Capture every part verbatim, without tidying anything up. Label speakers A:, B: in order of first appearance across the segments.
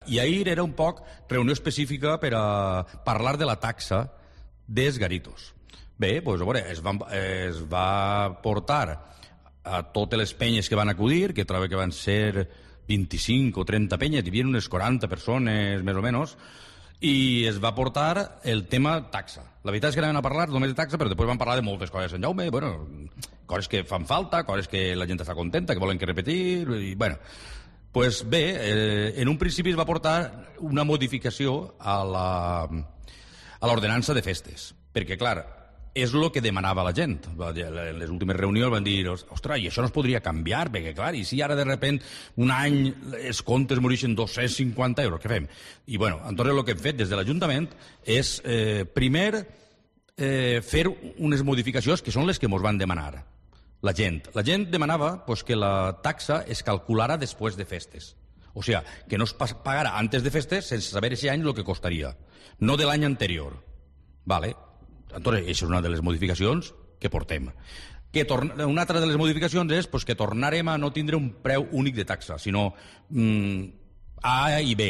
A: I ahir era un poc reunió específica per a parlar de la taxa dels garitos. Bé, doncs, a veure, es va, es va portar a totes les penyes que van acudir, que trobo que van ser vint-i-cinc o trenta penyes, hi havia unes quaranta persones, més o menys, i es va portar el tema taxa. La veritat és que anaven a parlar només de taxa, però després van parlar de moltes coses. En Jaume, bueno, coses que fan falta, coses que la gent està contenta, que volen que repetir, i bueno... Pues bé, eh, en un principi es va portar una modificació a la, a l'ordenança de festes, perquè, clar, és el que demanava la gent. En les últimes reunions van dir, ostres, i això no es podria canviar, perquè, clar, i si ara de repent un any els comptes morixen dos-cents cinquanta euros, què fem? I, bueno, entonces el que hem fet des de l'Ajuntament és, eh, primer, eh, fer unes modificacions que són les que ens van demanar. La gent. La gent demanava pues, que la taxa es calculara després de festes. O sigui, que no es pagara antes de festes sense saber aquest any el que costaria. No de l'any anterior. Vale. Entonces, això és una de les modificacions que portem. Que torna... Una altra de les modificacions és pues, que tornarem a no tindre un preu únic de taxa, sinó mm, A i B.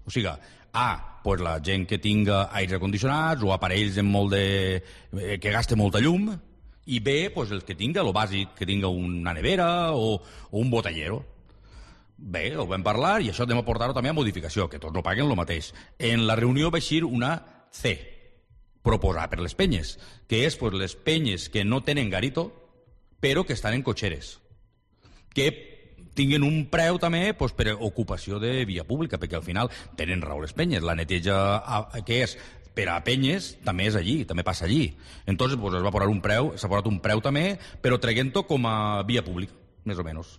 A: O sigui, A, pues, la gent que tinga aires acondicionats o aparells amb molt de... que gaste molta llum, i B, pues, el que tinga, el bàsic, que tinga una nevera o, o un botellero. Bé, ho vam parlar i això hem de portar-ho també a modificació, que tots no paguen el mateix. En la reunió va eixir una C, proposar per les penyes, que és pues, les penyes que no tenen garito, però que estan en cotxeres, que tinguin un preu també pues, per ocupació de via pública, perquè al final tenen raó les penyes. La neteja que és per a penyes també és allí, també passa allí. Entonces pues, es va posar un preu, s'ha posat un preu també, però traient-ho com a via pública, més o menys.